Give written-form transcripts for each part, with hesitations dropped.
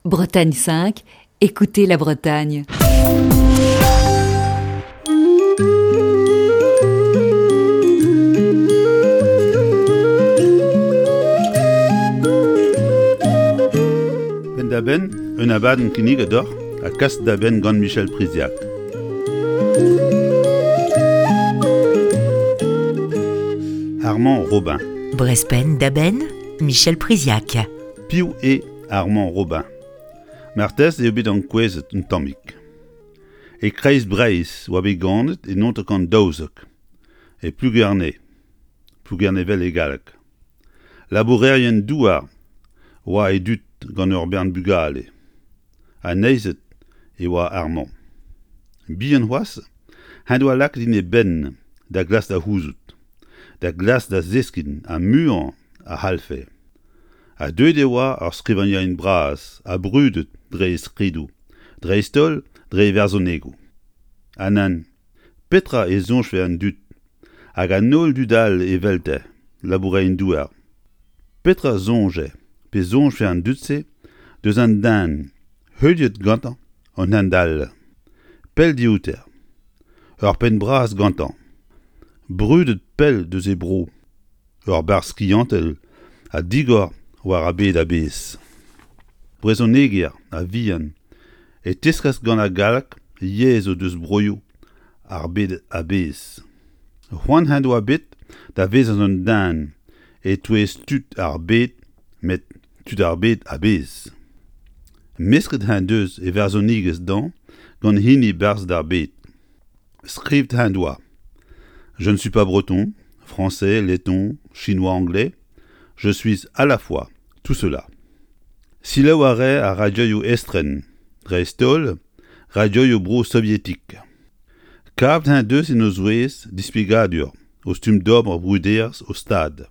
Bretagne 5, écoutez la Bretagne. Penn-da-benn, un abadenn kinniget deoc'h ha kas da benn gant Michel Priziac. Armand Robin. Brest penn-da-benn, Michel Priziac. Piv eo Armand Robin? Marteze eo bet ankouezet un tammig. E kreiz Breizh oa bet ganet e 1912, e Plougerne, Plougernevel e galleg. Labourerien-douar oa e dud gant ur bern bugale. Aneizet e oa Armand. Bihan c'hoazh en doa lakaet en e benn da glask da c'houzout, da glask da zeskiñ ha muiañ a c'hallfe. Ha deuet e oa ur skrivagnerien bras ha brudet dre e skridoù, dreist-holl dre e varzhonegoù. Ha nann, petra e soñjfe an dud hag an holl dud all evelte, labourerien-douar? Petra 'soñje pe soñjfe an dud-se deus an den heuliet gantañ an hent all, pell dioute, ur penn bras gantañ, brudet pell deus e bro? Ur barzh skiantel ha digor war ar bed a-bezh. Brezhoneger a-vihan e teskas gant ar galleg yezhoù deus broioù ar bed a-bezh. C'hoant en doa bet da vezañ un den e-touez tud ar bed met tud ar bed a-bezh. Mesket en deus e varzhonigezh dañ gant hini barzhed ar bed. Skrivet en doa Je ne suis pas breton, français, letton, chinois, anglais, je suis à la fois tout cela. Selaou a rae ar radioioù estren, dreist-holl radioioù bro sovietik. Kavet en deus en o zouez displegadur o stumm d'ober bruderezh o stad.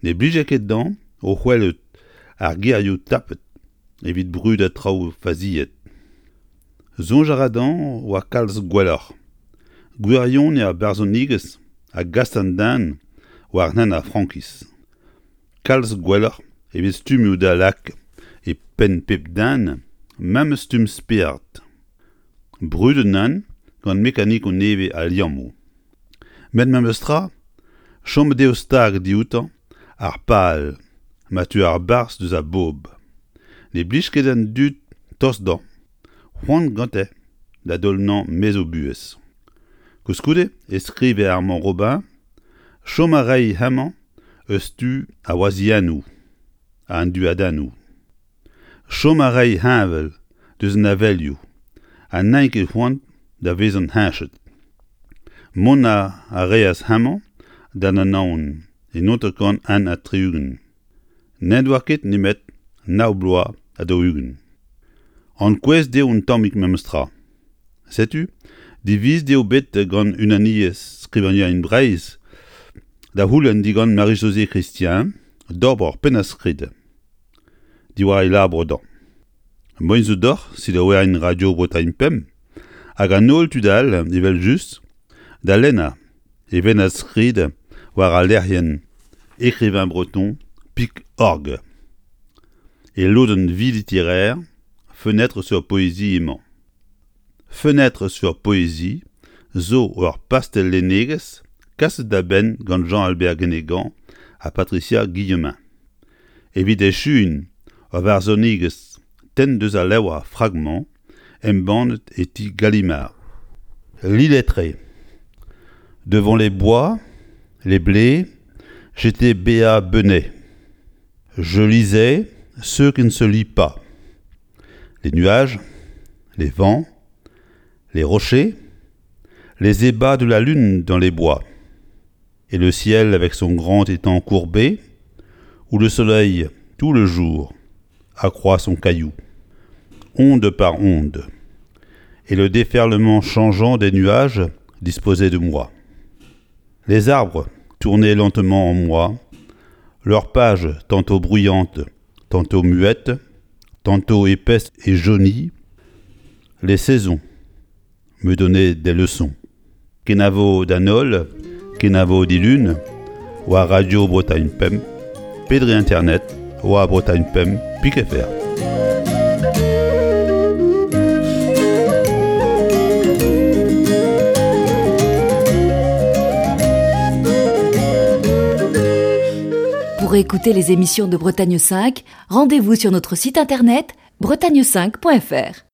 Ne blije ket dezhañ o c'hwelout ar gerioù tapet evit brudañ traoù faziet. Soñj a ra dezhañ oa kalz gwelloc'h. Gwirionez ar barzhonigezh a gas an den war hent ar frankiz. Kalz gwelloc'h evit stummoù da lak e penn pep den memes stumm spered. Brudet nann gant mekanikoù nevez al liammoù. Met memestra, chomet eo stag dioutañ ar pal ma teu ar barzh deus ar bobl. Ne blij ket d'an dud tost dezhañ, c'hoant gante da daol-nañ maez o buhez. Koulskoude e skrive Armand Robin chom a ray hemañ eus tu ar wazhiennoù ha an duadennoù. Chom a ray heñvel deus an avelioù ha n'int ket c'hoant da vezañ heñchet. Mont a reas hemañ d'an Anaon e 1961. N'en doa ket nemet nav bloaz ha 40. Ankouezet eo un tammig memestra. Setu, divizet eo bet gant Unaniezh Skrivagnerien Breizh da c'houlenn digant Marie-Josée Christian d'ober ur pennad-skrid. Diwar e labour dezhañ. Moaien zo deoc'h selaouerien Radio Bretagne Pemp hag an holl tud all evel-just da lennañ e vennad-skrid war al lec'hienn écrivainbreton.org. E lodenn vie littéraire Fenêtre sur poésie emañ. Fenêtre sur poésie zo ur pastell lennegezh kaset da benn gant Jean-Albert Guénégan ha Patricia Guillemin. Evit echuiñ ur varzhonigezh tenn deus al levr Fragments embannet e ti Gallimard. L'illettré. Devant les bois, les blés, j'étais Béa Benet. Je lisais ce qui ne se lit pas. Les nuages, les vents, les rochers, les ébats de la lune dans les bois, et le ciel avec son grand étang courbé, où le soleil, tout le jour, accroît son caillou, onde par onde, et le déferlement changeant des nuages disposait de moi. Les arbres tournaient lentement en moi, leurs pages tantôt bruyantes, tantôt muettes, tantôt épaisses et jaunies, les saisons me donnaient des leçons. Kenavo d'an holl, kenavo dilun, war Radio Bretagne Pemp, pe dre internet, war Bretagne Pemp, pik fr. Pour écouter les émissions de Bretagne 5, rendez-vous sur notre site internet bretagne5.fr.